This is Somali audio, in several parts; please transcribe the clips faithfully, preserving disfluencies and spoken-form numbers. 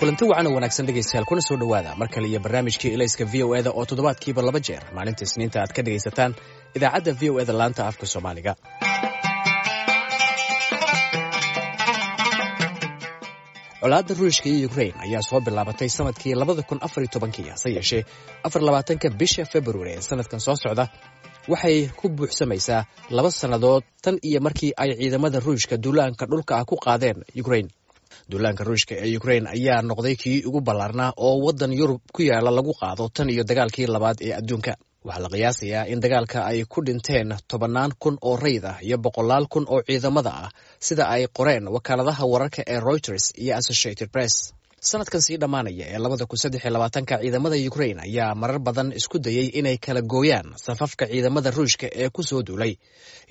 Kulanti wacan oo wanaagsan, dhegaystayaal, kuna soo dhowaada mar kale iyo barnaamijkii Ilayska V O E da oo toddobaadkiiba laba jeer maalinta Isniinta aad ka dhegaysataan idaacadda V O E da laanta afka Soomaaliga. Colaadda Ruushka iyo Ukrain ayaa soo bilaabatay sanadkii labada kun afar iyo tobankii. Hase yeeshee, afar labaatanka bisha Februari ee sanadkan soo socda waxay ku buuxsamaysaa laba sannadood tan iyo markii ay ciidamada Ruushka duulaanka dhulka ah ku qaadeen Ukrain. Duulaanka Ruushka ee Ukrain ayaa noqday kii ugu ballaarnaa oo waddan Yurub ku yaala lagu qaado tan iyo dagaalkii labaad ee adduunka. Waxaa la qiyaasayaa in dagaalka ay ku dhinteen tobannaan kun oo rayid ah iyo boqolaal kun oo ciidamada ah, sida ay qoreen wakaaladaha wararka ee Reuters iyo Associated Press. Sanadkan sii dhammaanaya ee labada kun saddex iyo labaatanka, ciidamada Ukrain ayaa marar badan isku dayey inay kala gooyaan safafka ciidamada Ruushka ee ku soo duulay,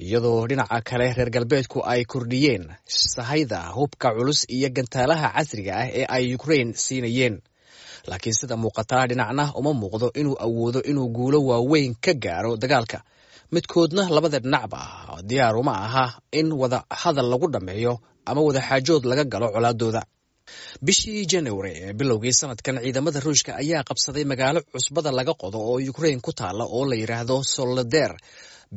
iyadoo dhinaca kale reer galbeedku ay kordhiyeen sahayda hubka culus iyo gantaalaha casriga ah ee ay Ukrain siinayeen. Laakiin sida muuqataa, dhinacna uma muuqdo inuu awoodo inuu guulo waaweyn ka gaaro dagaalka. Midkoodna, labada dhinacba, diyaar uma aha in wada hadal lagu dhammeeyo ama wadaxaajood laga galo colaadooda. Bishii January ee bilowgii sanadkan, ciidamada Ruushka ayaa qabsaday magaalo cusbada laga qodo oo Ukrain ku taala oo la yidhaahdo Soledar.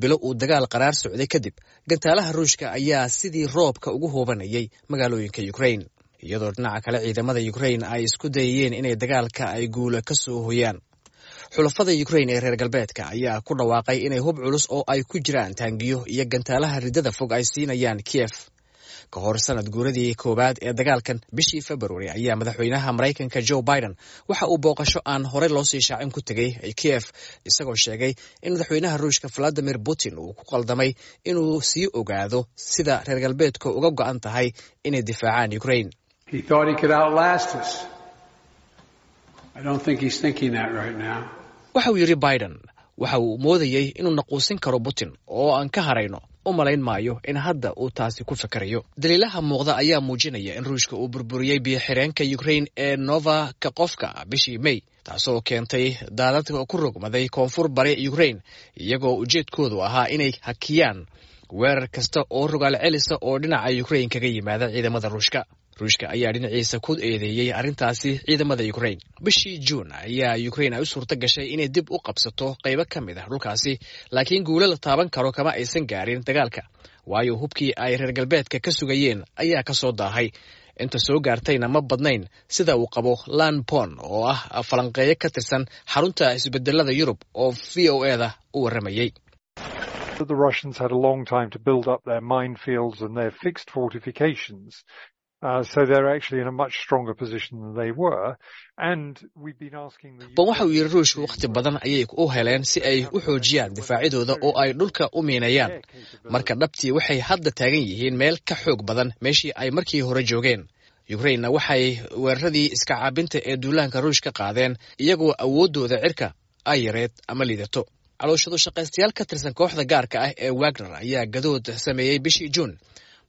Bilo uu dagaal qaraar socday kadib, gantaalaha Ruushka ayaa sidii roobka ugu hoobanayay magaalooyinka Ukrain, iyadoo dhinaca kale ciidamada Ukrain ay isku dayayeen inay dagaalka ay guula ka soo hoyaan. Xulafada Ukrain ee reer galbeedka ayaa ku dhawaaqay inay hub culus oo ay ku jiraan taangiyo iyo gantaalaha riddada fog ay siinayaan Kiev. Ka hor sanad guuradii koowaad ee dagaalkan bishii February ayaa madaxweynaha Maraykanka Joe Biden waxa uu booqasho aan horey loo sii shaacin ku tegey Kiev, isagoo sheegay in madaxweynaha Ruushka Vladimir Putin uu ku qaldamay inuu sii ogaado sida reer galbeedka uga go'an tahay inay difaacaan Ukrain. He thought he could outlast us. I don't think he's thinking that right now. Waxa uu yidhi Biden, waxa uu moodayey inuu naquusin karo Putin oo aan ka harayno. U malayn maayo in hadda uu taasi ku fakerayo. Daliilaha muuqda ayaa muujinaya in Ruushka uu burburiyey biyo-xireenka Ukrain ee Nova Kakhovka bishii May, taasoo keentay daadad ku rogmaday koonfur bari Ukrain, iyagoo ujeedkoodu ahaa inay hakiyaan weerar kasta oo rogaal celisa oo dhinaca Ukrain kaga yimaada ciidamada Ruushka. Ruushka ayaa dhinaciisa ku eedeeyey arrintaasi ciidamada Ukrain. Bishii Juun ayaa Ukrain ay u suurto gashay inay dib u qabsato qaybo ka mid ah dhulkaasi, laakiin guulo la taaban karo kama aysan gaarin dagaalka, waayo hubkii ay reer galbeedka ka sugayeen ayaa ka soo daahay, inta soo gaartayna ma badnayn, sida uu qabo Lan Pon oo ah falanqeeyo ka tirsan xarunta isbedelada Yurub oo V O E da u warramayey. The Russians had a long time to build up their minefields and their fixed fortifications. Uh, so they're actually in a much stronger position than they were. And we've been asking the Ban waxa uu yidhi, Ruushku wakhti badan ayay u heleen si ay u xoojiyaan difaacyadooda oo ay dhulka u miinayaan. Marka dhabtii waxay hadda taagan yihiin meel ka xoog badan meeshii ay markii hore joogeen. Ukrainna waxay weeraradii iska caabinta ee duulaanka Ruush ka qaadeen iyagoo awooddooda cirka ay yareed ama liidato. Calooshadu shaqaystayaal ka tirsan kooxda gaarka ah ee Wagner ayaa gadood sameeyey bishii Juun.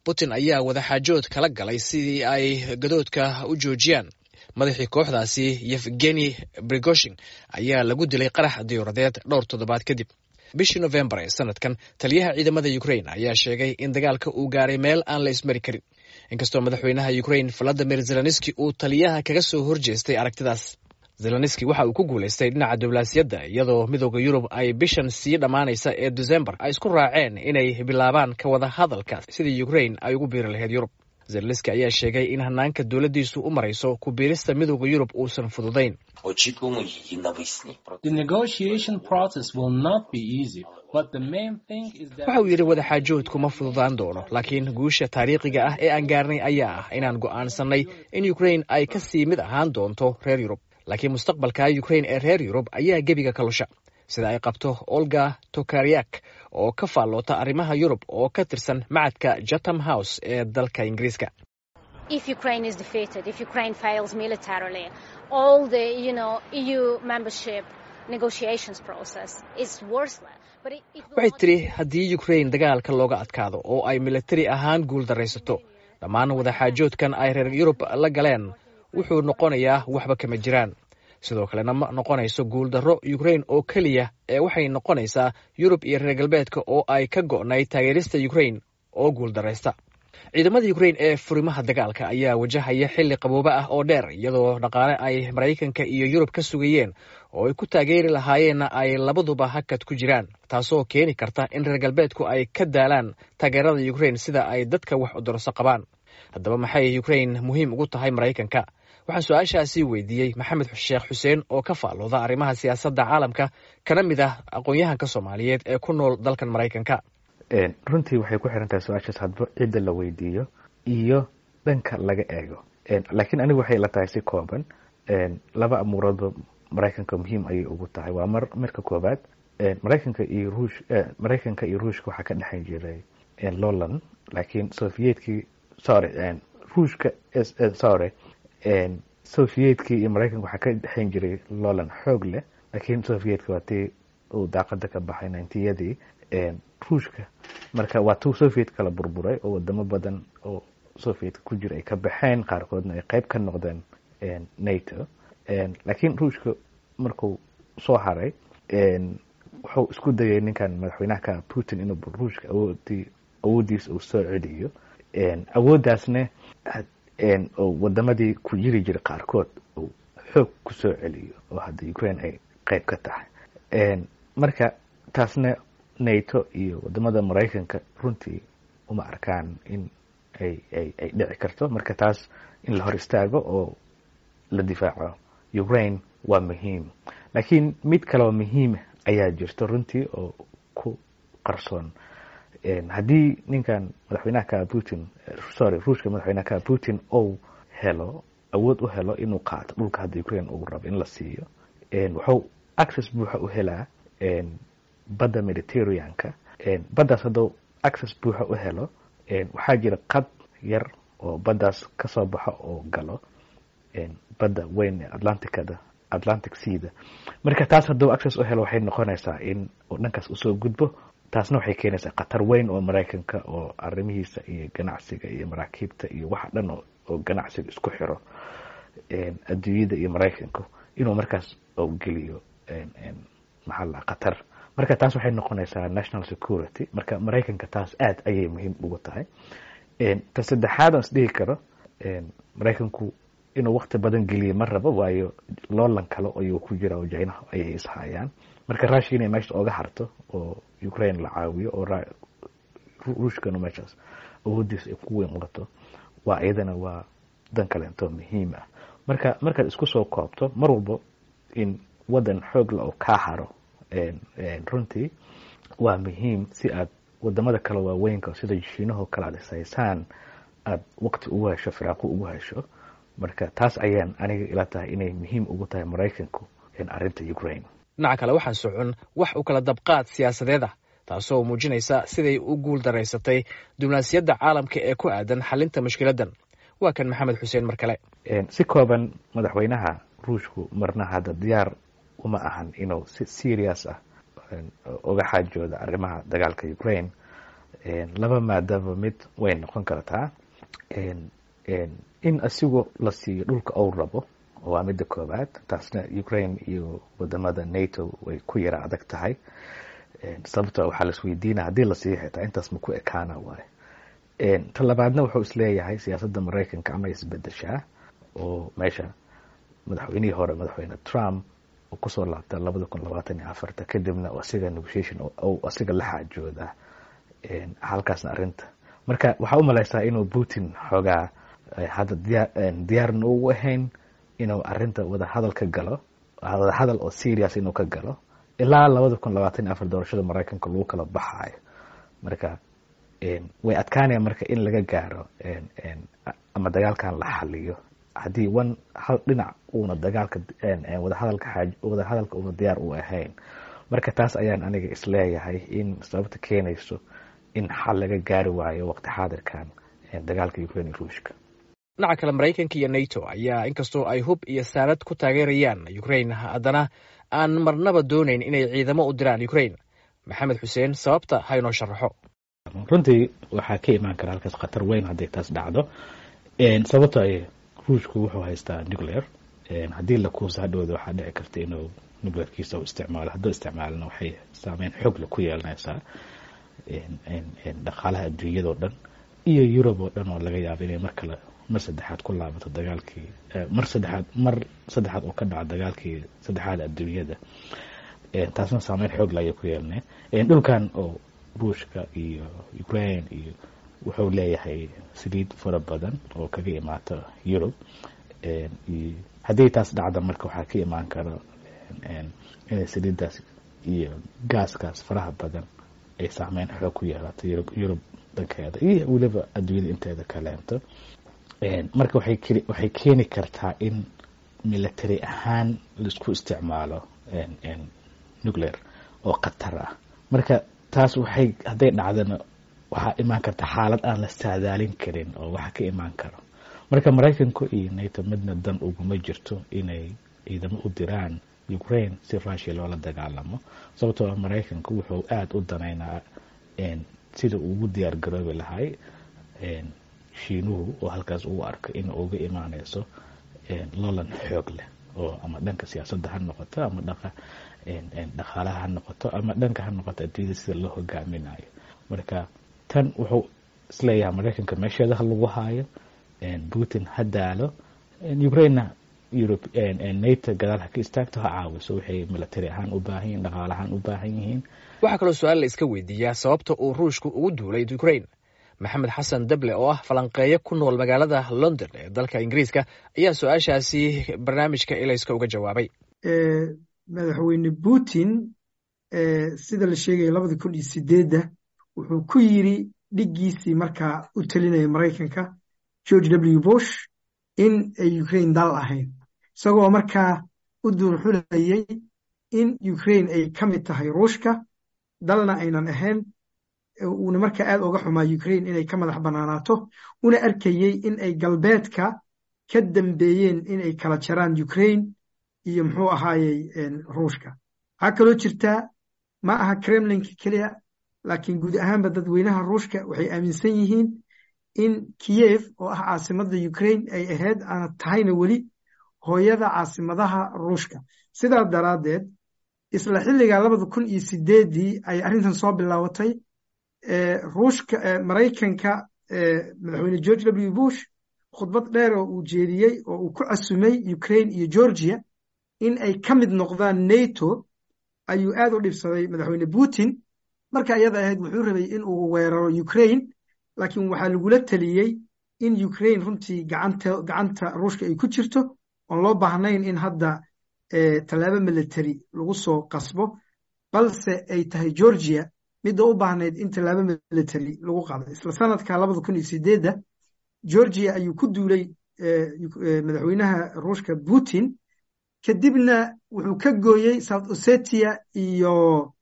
Putin ayaa wadaxaajood kala galay sidii ay gadoodka u joojiyaan. Madaxii kooxdaasi, Yevgeni Prigozhin, ayaa lagu dilay qarax diyuuradeed dhowr toddobaad kadib. Bishii Novembar ee sanadkan, taliyaha ciidamada Ukrain ayaa sheegay in dagaalka uu gaaray meel aan la ismari karin, inkastoo madaxweynaha Ukrain Vladimir Zelenski uu taliyaha kaga soo horjeestay aragtidaas. Zelenski waxa uu ku guulaystay dhinaca diblomaasiyadda, iyadoo Midooda Yurub ay bishan sii dhammaanaysa ee December ay isku raaceen inay bilaabaan ka wada hadalka sidii Ukrain ay ugu biiri lahayd Yurub. Zelenski ayaa sheegay in hanaanka dowladdiisu u marayso ku biirista Midooda Yurub uusan fududayn. The negotiation process will not be easy, but the main thing is that Waxa uu yidhi, wadaxaajoodku ma fududaan doono, laakiin guusha taariikhiga ah ee aan gaarnay ayaa ah inaan go'aansannay in Ukrain ay ka sii mid ahaan doonto reer Yurub. Laakiin mustaqbalka Ukrain ee reer Yurub ayaa gebiga ka lusha, sida ay qabto Olga Tokariak oo ka faalloota arrimaha Yurub oo ka tirsan macadka Chatham House ee dalka Ingiriiska. If Ukraine is defeated, if Ukraine fails militarily, all the you know E U membership negotiations process is worthless. But it, it will Waxay not tiri, haddii Ukrain dagaalka looga adkaado oo ay militari ahaan guul daraysato, dhammaan wadaxaajoodkan ay reer Yurub la galeen wuxuu noqonayaa waxba kama jiraan. Sidoo kalena ma noqonayso guuldarro Ukrain oo keliya ee waxay noqonaysaa Yurub iyo reer galbeedka oo ay ka go'nayd taageerista Ukrain oo guuldaraysta. Ciidamada Ukrain ee furimaha dagaalka ayaa wajahaya xilli qaboobe ah oo dheer, iyadoo dhaqaale ay Maraykanka iyo Yurub ka sugayeen oo ay ku taageeri lahaayeenna ay labaduba hakad ku jiraan, taasoo keeni karta in reer galbeedku ay ka daalaan taageerada Ukrain sida ay dadka wax udurso qabaan. Haddaba, maxay Ukrain muhiim ugu tahay Maraykanka? Waxaan su-aashaasi weydiiyey Maxamed Sheekh Xuseen oo ka faallooda arrimaha siyaasadda caalamka, kana mid ah aqoon-yahanka Soomaaliyeed ee ku nool dalkan Maraykanka. Runtii waxay ku xiran tahay su-aashaas hadba cidda la weydiiyo iyo dhanka laga eego, laakiin anigu waxay ila tahay si kooban laba amuuroodba Maraykanka muhiim ayay ugu tahay. Waa mar marka koobaad, Maraykanka iyo Ruush Maraykanka iyo Ruushka waxaa ka dhexan jiray loolan, laakiin Sovietkii, sorry, Ruushka, sorry, Sovietkii iyo Maraykanka waxaa ka dhexan jiray loolan xoog leh, laakiin Sovietka waa tii uu daaqada ka baxay ninetiyadii. Ruushka marka waa tuu Soviet kala burburay oo wadamo badan oo Sovietka ku jira ay ka baxeen, qaarkoodna ay qeyb ka noqdeen NATO. Laakiin Ruushka markuu soo haray, wuxuu isku dayay ninkan madaxweynaha ka Putin inuu Ruushka awoodii awooddiisa uu soo celiyo, awooddaasna oo wadamadii ku jiri jiray qaarkood uu xoog ku soo celiyo, oo hadda Ukraine ay qeyb ka tahay. Marka taasna NATO iyo wadamada Maraykanka runtii uma arkaan in ay ay ay dhici karto. Marka taas in la hor istaago oo la difaaco Ukraine waa muhiim. Laakiin mid kaleo muhiima ayaa jirto runtii oo ku qarsoon. Haddii ninkan madaxweynaha ka Putin, sorry, Ruushka madaxweynaha ka Putin ou helo awood u helo inuu qaato dhulka hadda Ukraine uu rabo in la siiyo, wuxuu access buuxa u helaa badda Mediterraneanka. Baddaas hadduu access buuxa u helo, waxaa jira qad yar oo baddaas kasoo baxo oo galo badda weyn ee Atlanticada, Atlantic Seada. Marka taas hadduu access u helo, waxay noqonaysaa in uu dhankaas usoo gudbo. Taasna waxay keenaysaa khatar weyn oo Maraykanka oo arrimihiisa iyo ganacsiga iyo maraakiibta iyo waxa dhan oo ganacsiga isku xiro adduunyada iyo Maraykanku inuu markaas oo geliyo, maxaa la, khatar. Marka taas waxay noqonaysaa national security. Marka Maraykanka taas aad ayay muhiim ugu tahay. Ta saddexaad aan isdhihi karo, Maraykanku inuu wakti badan geliyo ma rabo, waayo loolan kale ayuu ku jira oo Jinaha ayay ishayaan. Marka Russia inay meesha oga harto oo Ukraine la caawiyo oo Ruushkanu meeshaas awoodiisa ay ku weyn wato, waa iyadana waa dan kaleento muhiim ah. Marka markaad isku soo koobto, mar walbo in waddan xoog la oo kaa haro runtii waa muhiim si aad wadamada kale waaweynka sida Shiinahoo kale aad ishaysaan aad waqti ugu hesho, firaaqo ugu hesho. Marka taas ayaan aniga ila tahay inay muhiim ugu tahay Maraykanku arrinta Ukraine. Dhinaca kale, waxaa socon wax u kala dabqaad siyaasadeed ah, taasoo muujinaysa siday u guul daraysatay diblomaasiyadda caalamka ee ku aadan xalinta mushkiladdan. Waa kan Maxamed Xuseen mar kale. Si kooban, madaxweynaha Ruushku marna hadda diyaar uma ahan inuu si serious ah uga xaajooda arrimaha dagaalka Ukraine. Laba maadaba mid way noqon kartaa: in asigu la siiyo dhulka uu rabo, waa midda koobaad, taasna Ukraine iyo wadamada NATO way ku yara adag tahay, sababto waxaa laisweydiina haddii la siiyo xitaa intaas ma ku ekaana waayo. Ta labaadna, wuxuu isleeyahay siyaasadda Maraykanka ama isbedeshaa oo meesha madaxweynihii hore, Madaxweyne Trump, uu kusoo laabta labada kun labaatan iyo afarta, kadibna asiga negotiation asiga la xaajooda halkaasna arrinta. Marka waxaa u malaysaa inuu Putin xoogaa hadda diyaar diyaarna ugu ahayn inuu arrinta wadahadal ka galo, wadahadal oo serious inuu ka galo ilaa labada kun labaatan iyo afar doorashada Maraykanka lagu kala baxaayo. Marka way adkaanaya marka in laga gaaro ama dagaalkan la xaliyo haddii one hal dhinac uuna dagaalka wadahadalka xaaj wadahadalka uuna diyaar u ahayn. Marka taas ayaan aniga isleeyahay in sababta keenayso in xal laga gaari waayo waqti xaadirkan dagaalka Ukraine iyo Ruushka. Dhinaca kale, Maraykanka iyo NATO ayaa inkastoo ay hub iyo saanad ku taageerayaan Ukraine, haddana aan marnaba doonayn inay ciidamo u diraan Ukraine. Maxamed Xuseen sababta ha inoo sharaxo. Runtii waxaa ka imaan kara halkaas khatar weyn hadday taas dhacdo, sababto ay Ruushku wuxuu haystaa nuclear. Haddii la kuusa hadhowda, waxaa dhici karta inuu nuclearkiisa u isticmaalo. Hadduu isticmaalna, waxay saameyn xoogle ku yeelanaysaa dhaqaalaha adduunyada o dhan. Iyo Yurub oo dhan oo laga yaabo inay mar kale, mar saddexaad ku laabato dagaalkii, mar saddexaad mar saddexaad oo ka dhaco dagaalkii saddexaad adduunyada. Taasna saameyn xoog la ayay ku yeelnay dhulkan oo Ruushka iyo Ukraine, iyo wuxuu leeyahay saliid fara badan oo kaga imaata Yurub. Haddii taas dhacda, marka waxaa ka imaan karo inay saliiddaas iyo gaaskaas faraha badan ay saameyn xoog ku yeelato Yurub Yurub dhankeeda iyo weliba adduunyada inteeda kaleento. Marka waxay waxay keeni kartaa in military ahaan laisku isticmaalo nuclear oo khatar ah. Marka taas waxay, hadday dhacdana, waxaa imaan karta xaalad aan la saadaalin karin oo waxa ka imaan karo. Marka Maraykanku iyo NATO midna dan uguma jirto inay ciidamo u diraan Ukraine si Russia loola dagaalamo, sababtoo ah Maraykanku wuxuu aada u danaynaa sida uu ugu diyaar garoobi lahay Shiinuhu, oo halkaas uu arko in uga imaaneyso lolan xoog leh, oo ama dhanka siyaasadda ha noqoto, ama dhaqa dhaqaalaha ha noqoto, ama dhanka ha noqoto adduunyada sida loo hogaaminayo. Marka tan wuxuu isleeyahay Maraykanka meesheeda ha lagu haayo, Putin ha daalo, Ukrainena Europe, NATO gadaal ha ka istaagto, ha caawiso waxay military ahaan u baahan yihin, dhaqaale ahaan u baahan yihiin. Waxaa kaloo su-aal la iska weydiiyaa sababta uu Ruushku ugu duulay Ukraine. Maxamed Xasan Dable oo ah falanqeeyo ku nool magaalada London ee dalka Ingiriiska ayaa su-aashaasi barnaamijka Ilayska uga jawaabay. Madaxweyne Putin, sida la sheegaya, labada kun iyo sideedda wuxuu ku yiri dhiggiisii markaa u talinaya Maraykanka, George W Bush, in ay Ukraine dal ahayn, isagoo markaa u duurxulayay in Ukraine ay ka mid tahay Ruushka, dalna aynan ahayn, uuna markaa aad oga xumaa Ukraine inay ka madax bannaanaato, una arkayey in ay galbeedka ka dambeeyeen inay kala jaraan Ukraine iyo, muxuu ahaayey, Ruushka. Waxaa kaloo jirtaa, ma aha Kremlinka keliya, laakiin guud ahaanba dadweynaha Ruushka waxay aaminsan yihiin in Kiyev, oo ah caasimadda Ukraine, ay ahayd aana tahayna weli hooyada caasimadaha Ruushka. Sidaa daraaddeed, isla xilligaa labada kun iyo sideeddii ay arrintan soo bilaabatay, Ruushka, Maraykanka, madaxweyne George W Bush khudbad dheer oo uu jeediyey oo uu ku casumay Ukraine iyo Georgia in ay ka mid noqdaan NATO ayuu aad u dhibsaday madaxweyne Putin. Marka iyada ahayd wuxuu rabay in uu weeraro Ukraine, laakiin waxaa lagula taliyey in Ukraine runtii gacanta gacanta Ruushka ay ku jirto, oon loo baahnayn in hadda tallaabo military lagu soo qasbo, balse ay tahay Georgia midda u baahnayd in tallaabo military lagu qaado. Isla sanadka labada kun iyo sideedda Georgia ayuu ku duulay madaxweynaha Ruushka Putin, kadibna wuxuu ka gooyey South Ossetia iyo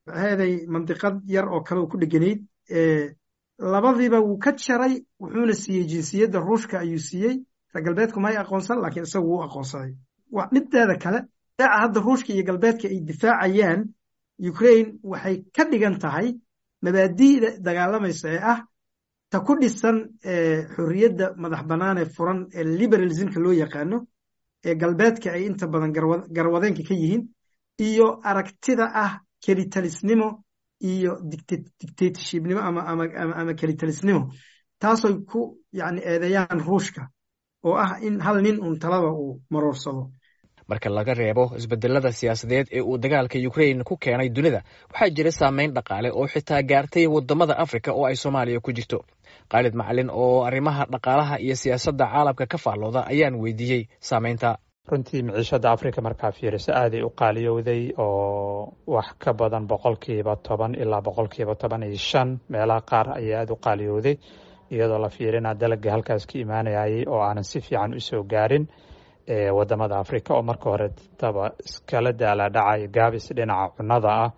maxaaday mandiqad yar oo kale oo ku dheganayd. Labadiiba wuu ka jaray, wuxuuna siiyey jinsiyadda Ruushka ayuu siiyey. Reer galbeedku may aqoonsan, laakiin isagu wuu aqoonsaday. Mideeda kale, daaca hadda Ruushka iyo galbeedka ay difaacayaan Ukraine waxay ka dhigan tahay mabaadi'da dagaalamaysa ee ah ta ku dhisan xorriyadda madax bannaan ee furan ee liberalismka loo yaqaano, ee galbeedka ay inta badan garwadeenka ka yihiin, iyo aragtida ah kelitalisnimo iyo dictatorshipnimo ama ama ama kelitalisnimo, taasoy ku yani eedeeyaan Ruushka, oo ah in hal nin uun talada uu maroorsado. Marka laga reebo isbedelada siyaasadeed ee uu dagaalka Ukraine ku keenay dunida, waxaa jira saameyn dhaqaale oo xitaa gaartay wadamada Afrika oo ay Soomaaliya ku jirto. Khaalid Macalin oo arrimaha dhaqaalaha iyo siyaasadda caalamka ka faallooda ayaan weydiiyey saameynta. Runtii miciishada Africa markaa fiiriso aaday u qaaliyowday, oo wax ka badan boqolkiiba toban ilaa boqolkiiba toban iyo shan meelaha qaar ayaa aada u qaaliyowday, iyadoo la fiirina dalaga halkaas ka imaanayay oo aanan si fiican usoo gaarin wadamada Africa, oo marka hore taba iskala daalaadhacay gaabis dhinaca cunnada ah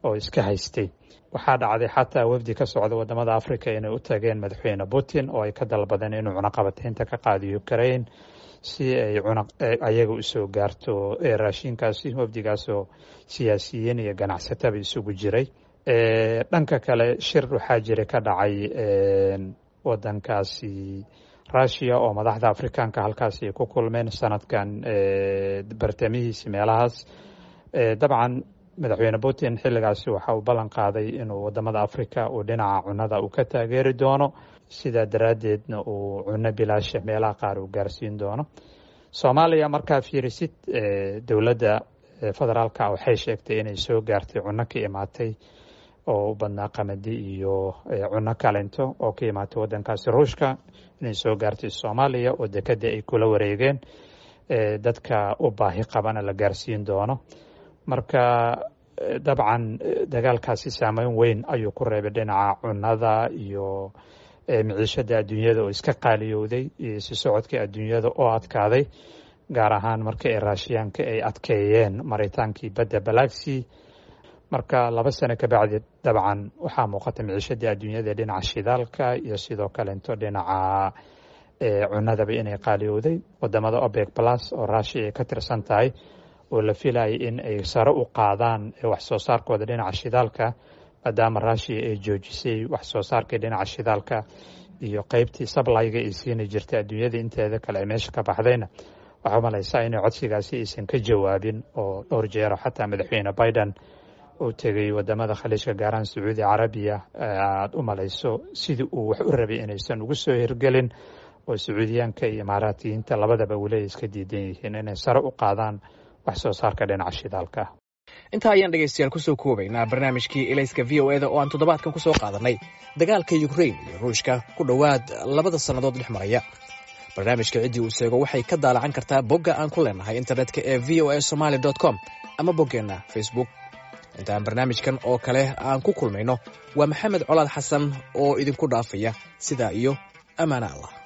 oo iska haystay. Waxaa dhacday xataa wafdi ka socda wadamada Africa inay u tageen madaxweyne Putin oo ay ka dalbadeen inuu cunaqabataynta ka qaado Ukraine si ay ayaga usoo gaarto raashinkaasi, wafdigaasoo siyaasiyiin iyo ganacsataba isugu jiray. Dhanka kale, shir waxaa jira ka dhacay wadankaasi Russia oo madaxda Afrikaanka halkaasi ay ku kulmeen sanadkan bartamihiisi meelahaas. Dabcan Madaxweyne Putin xilligaasi waxa uu ballan qaaday inuu wadamada Africa uu dhinaca cunada uu ka taageeri doono, sidaa daraaddeedna uu cunno bilaasha meelaha qaar uu gaarsiin doono. Soomaaliya markaa fiirisid, dowladda federaalka waxay sheegtay inay soo gaartay cunno ka imaatay oo u badnaa qamadi iyo cunno kalento oo ka imaatay waddankaasi Ruushka, inay soo gaartay Soomaaliya oo dekadda ay kula wareegeen, dadka u baahi qabana la gaarsiin doono. Marka dabcan dagaalkaasi saameyn weyn ayuu ku reebay dhinaca cunnada iyo miciishada adduunyada oo iska qaaliyowday, iyo si socodka adduunyada oo adkaaday, gaar ahaan marka ay Raashiyaanka ay adkeeyeen maritaankii badda Balaxi. Marka laba sano ka bacdi dabcan waxaa muuqata miciishadii adduunyada dhinaca shidaalka iyo sidoo kalento dhinaca cunadaba inay qaaliyowday. Wadamada OPEC Plus oo Rushia ay ka tirsan tahay oo la filayay in ay sare u qaadaan wax soo saarkooda dhinaca shidaalka, maadaama Rushia ay joojisay wax soo saarkii dhinaca shidaalka iyo qeybtii supply-ga ay siini jirtay adduunyada inteeda kale ay meesha ka baxdayna, waxaa umalaysaa inay codsigaasi aysan ka jawaabin, oo dhowr jeero xataa Madaxweyne Biden uu tegay wadamada Khaliijka, gaaraan Sacuudi Carabiya, aada u malayso sidii uu wax u rabay inaysan ugu soo hirgelin, oo Sacuudiyaanka iyo Imaaraatiyiinta labadaba weli ay iska diidan yihiin inay sare u qaadaan wax soo saarka dhinaca shidaalka. Intaa ayaan dhegaystayaal kusoo koobaynaa barnaamijkii Ilayska V O E da oo aan toddobaadkan kusoo qaadanay dagaalka Ukrain iyo Ruushka ku dhowaad labada sannadood dhex maraya. Barnaamijka ciddii uu seego waxay ka daalacan kartaa bogga aan ku leenahay internetka ee V O A somaly com ama boggeenna Facebook. Intaan barnaamijkan oo kale aan ku kulmayno, waa Maxamed Colaad Xasan oo idinku dhaafaya sidaa iyo ammaana Allah.